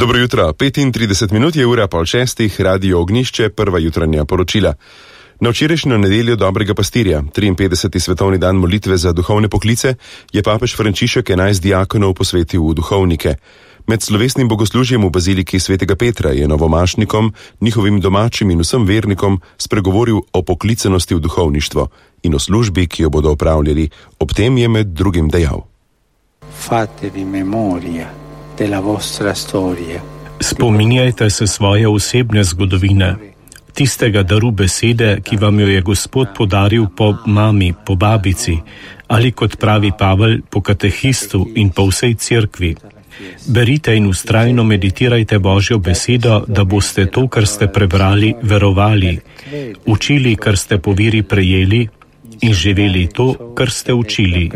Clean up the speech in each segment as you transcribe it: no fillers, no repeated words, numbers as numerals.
Dobro jutro, 35 minut je ura pol šestih, Radio Ognjišče, prva jutranja poročila. Na včerajšnjo nedeljo dobrega pastirja, 53. svetovni dan molitve za duhovne poklice, je papež Frančišek 11 diakonov posvetil v duhovnike. Med slovesnim bogoslužjem v baziliki svetega Petra je novomašnikom, njihovim domačim in vsem vernikom spregovoril o poklicanosti v duhovništvo in o službi, ki jo bodo opravljali. Ob tem je med drugim dejal: Fatevi memoria della vostra storia. Spominjajte se svoje osebne zgodovine, tistega daru besede, ki vam jo je Gospod podaril po mami, po babici, ali kot pravi Pavel, po katehistu in po vsej cerkvi. Berite in vztrajno meditirajte Božjo besedo, da boste to, kar ste prebrali, verovali, učili, kar ste po veri prejeli in živeli to, kar ste učili.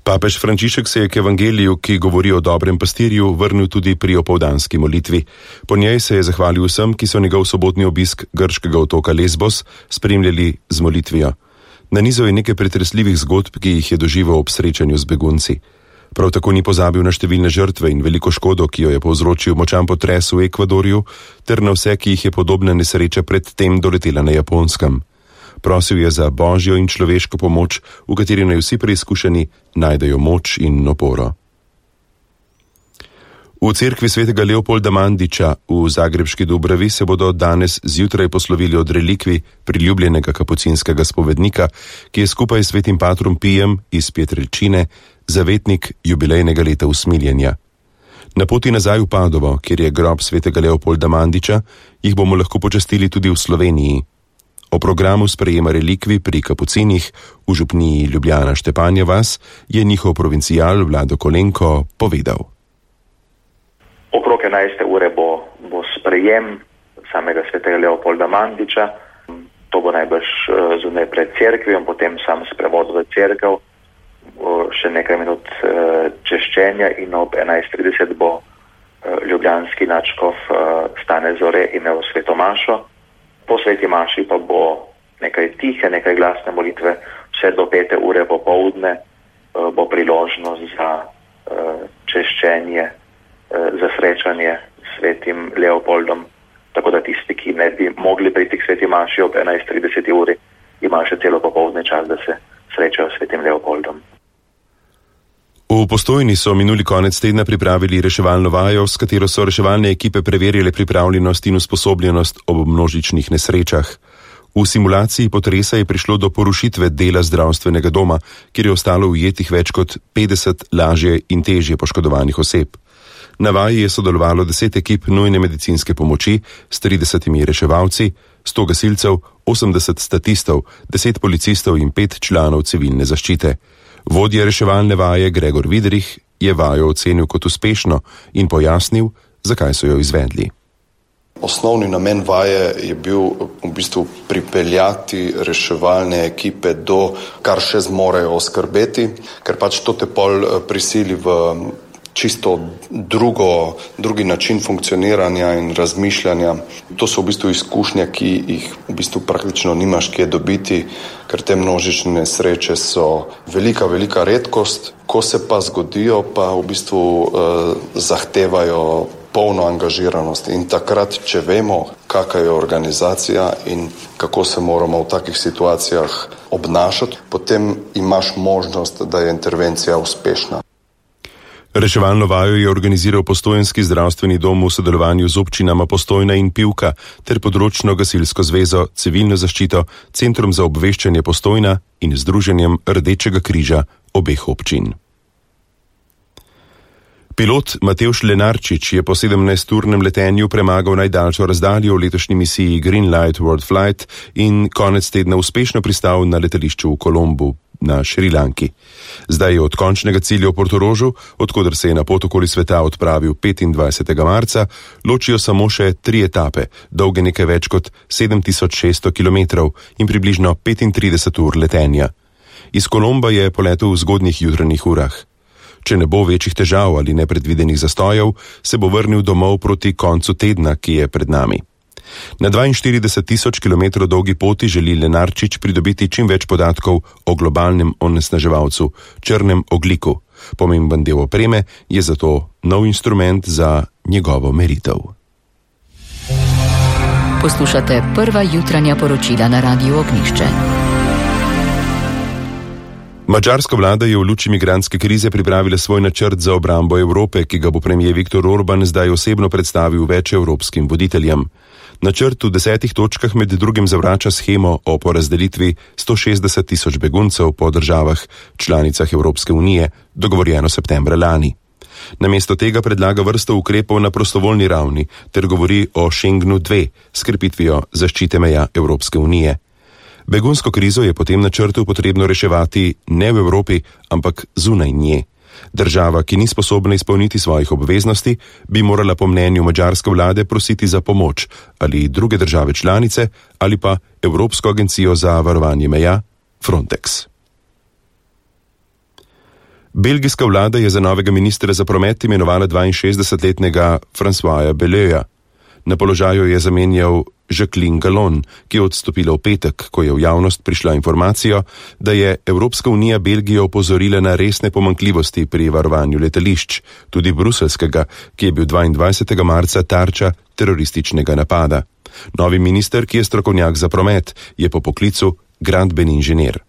Papež Frančišek se je k evangeliju, ki govori o dobrem pastirju, vrnil tudi pri opoldanski molitvi. Po njej se je zahvalil vsem, ki so njegov sobotni obisk grškega otoka Lesbos spremljali z molitvijo. Nanizal je nekaj pretresljivih zgodb, ki jih je doživel ob srečanju z begunci. Prav tako ni pozabil na številne žrtve in veliko škodo, ki jo je povzročil močan potres v Ekvadorju, ter na vse, ki jih je podobna nesreča predtem doletela na Japonskem. Prosil je za božjo in človeško pomoč, v kateri naj vsi preizkušeni najdejo moč in oporo. V cerkvi svetega Leopolda Mandića v zagrebški Dubravi se bodo danes zjutraj poslovili od relikvij priljubljenega kapucinskega spovednika, ki je skupaj s svetim patrom Pijem iz Pietrelcine zavetnik jubilejnega leta usmiljenja. Na poti nazaj v Padovo, kjer je grob svetega Leopolda Mandića, jih bomo lahko počastili tudi v Sloveniji. O programu sprejema relikvij pri kapucinih v župniji Ljubljana Štepanja vas je njihov provincial Vlado Kolenko povedal. Okrog 11. ure bo sprejem samega svetega Leopolda Mandića. To bo najbrž zunaj pred cerkvijo, potem sam sprevod v cerkev, še nekaj minut češčenja in ob 11:30 bo ljubljanski nadškof Stane Zore imel sveto mašo. Po sveti maši pa bo nekaj tihe, nekaj glasne molitve, vse do 5. ure popoldne bo priložnost za češčenje, za srečanje s svetim Leopoldom, tako da tisti, ki ne bi mogli priti k sveti maši ob 11:30 uri, ima še celo popoldne čas, da se srečajo s svetim Leopoldom. V Postojni so minuli konec tedna pripravili reševalno vajo, s katero so reševalne ekipe preverjale pripravljenost in usposobljenost ob množičnih nesrečah. V simulaciji potresa je prišlo do porušitve dela zdravstvenega doma, kjer je ostalo ujetih več kot 50 lažje in težje poškodovanih oseb. Na vaji je sodelovalo 10 ekip nujne medicinske pomoči s 30 reševalci, 100 gasilcev, 80 statistov, 10 policistov in 5 članov civilne zaščite. Vodja reševalne vaje Gregor Vidrih je vajo ocenil kot uspešno in pojasnil, zakaj so jo izvedli. Osnovni namen vaje je bil v bistvu pripeljati reševalne ekipe do, kar še zmorejo oskrbeti, ker pač to te pol prisili v čisto drugi način funkcioniranja in razmišljanja. To so v bistvu izkušnje, ki jih v bistvu praktično nimaš kje dobiti, ker te množične nesreče so velika redkost. Ko se pa zgodijo, pa v bistvu zahtevajo polno angažiranost. In takrat, če vemo, kakšna je organizacija in kako se moramo v takih situacijah obnašati, potem imaš možnost, da je intervencija uspešna. Reševalno vajo je organiziral Postojnski zdravstveni dom v sodelovanju z občinama Postojna in Pivka ter področno gasilsko zvezo, civilno zaščito, Centrom za obveščanje Postojna in Združenjem Rdečega križa obeh občin. Pilot Matevž Lenarčič je po 17-urnem letenju premagal najdaljšo razdaljo v letošnji misiji Greenlight World Flight in konec tedna uspešno pristal na letališču v Kolombu na Šrilanki. Zdaj je od končnega cilja v Portorožu, odkoder se je na pot okoli sveta odpravil 25. marca, ločijo samo še 3 etape, dolge nekaj več kot 7600 km in približno 35 ur letenja. Iz Kolomba je poletel v zgodnjih jutranjih urah. Če ne bo večjih težav ali nepredvidenih zastojev, se bo vrnil domov proti koncu tedna, ki je pred nami. Na 42.000 km dolgi poti želi Lenarčič pridobiti čim več podatkov o globalnem onesnaževalcu, črnem ogljiku. Pomemben del opreme je zato nov instrument za njegovo meritev. Poslušate prva jutranja poročila na Radiu Ognjišče. Madžarska vlada je v luči migrantske krize pripravila svoj načrt za obrambo Evrope, ki ga bo premier Viktor Orban zdaj osebno predstavil več evropskim voditeljem. Načrt v 10 točkah med drugim zavrača shemo o porazdelitvi 160.000 beguncev po državah članicah Evropske unije, dogovorjeno septembra lani. Namesto tega predlaga vrsto ukrepov na prostovoljni ravni ter govori o Schengenu 2 s krepitvijo zaščite meja Evropske unije. Begunsko krizo je po tem načrtu potrebno reševati ne v Evropi, ampak zunaj nje. Država, ki ni sposobna izpolniti svojih obveznosti, bi morala po mnenju madžarske vlade prositi za pomoč ali druge države članice ali pa Evropsko agencijo za varovanje meja Frontex. Belgijska vlada je za novega ministra za promet imenovala 62-letnega Françoisa Belleuxa. Na položaju je zamenjal Jacqueline Gallon, ki je odstopila v petek, ko je v javnost prišla informacija, da je Evropska unija Belgijo opozorila na resne pomanjkljivosti pri varovanju letališč, tudi bruselskega, ki je bil 22. marca tarča terorističnega napada. Novi minister, ki je strokovnjak za promet, je po poklicu gradbeni inženir.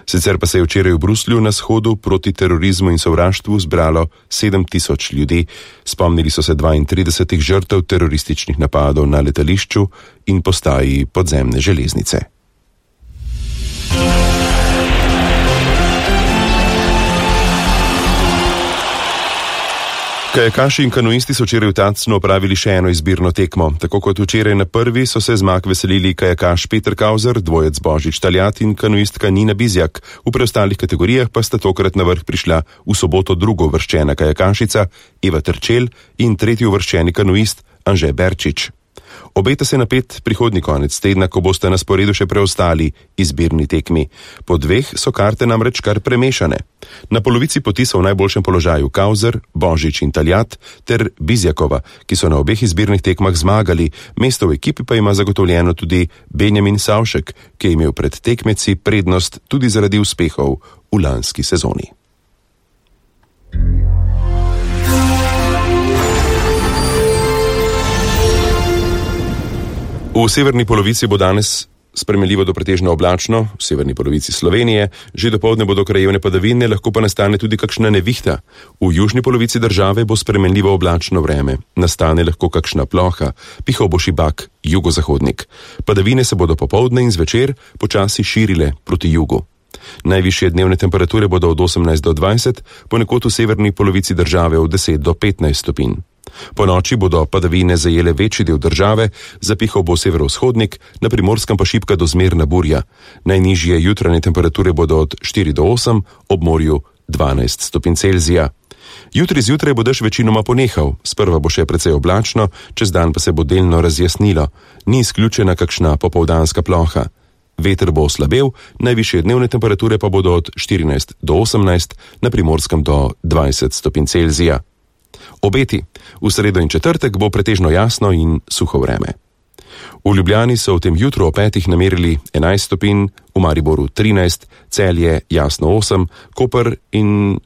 Sicer pa se je včeraj v Bruslju na shodu proti terorizmu in sovraštvu zbralo 7.000 ljudi. Spomnili so se 32 žrtev terorističnih napadov na letališču in postaji podzemne železnice. Kajakaši in kanuisti so včeraj v Tacnu opravili še eno izbirno tekmo. Tako kot včeraj na prvi so se zmag veselili kajakaš Peter Kauzer, dvojec Božič Taljat in kanuistka Nina Bizjak. V preostalih kategorijah pa sta tokrat na vrh prišla v soboto drugo uvrščena kajakašica Eva Terčelj in tretji uvrščeni kanuist Anže Berčič. Obeta se napet prihodnji konec tedna, ko boste na sporedu še preostali izbirni tekmi. Po dveh so karte namreč kar premešane. Na polovici poti so v najboljšem položaju Kauzer, Božič in Taljat ter Bizjakova, ki so na obeh izbirnih tekmah zmagali, mesto v ekipi pa ima zagotovljeno tudi Benjamin Savšek, ki je imel pred tekmeci prednost tudi zaradi uspehov v lanski sezoni. V severni polovici bo danes spremenljivo do pretežno oblačno, v severni polovici Slovenije, že dopoldne bodo krajevne padavine, lahko pa nastane tudi kakšna nevihta. V južni polovici države bo spremenljivo oblačno vreme, nastane lahko kakšna ploha, pihal bo šibak, jugozahodnik. Padavine se bodo popoldne in zvečer počasi širile proti jugu. Najvišje dnevne temperature bodo od 18 do 20, ponekod v severni polovici države od 10 do 15 stopinj. Po noči bodo padavine zajele večji del države, zapihal bo severovzhodnik, na Primorskem pa šibka do zmerna burja. Najnižje jutranje temperature bodo od 4 do 8, ob morju 12 stopinj Celzija. Jutri zjutraj bo dež večinoma ponehal, sprva bo še precej oblačno, čez dan pa se bo delno razjasnilo. Ni izključena kakšna popoldanska ploha. Veter bo oslabel, najvišje dnevne temperature pa bodo od 14 do 18, na Primorskem do 20 stopinj Celzija. Obeti. V sredo in četrtek bo pretežno jasno in suho vreme. V Ljubljani so v tem jutru o 5 namerili 11 stopinj, v Mariboru 13, Celje jasno 8, Koper in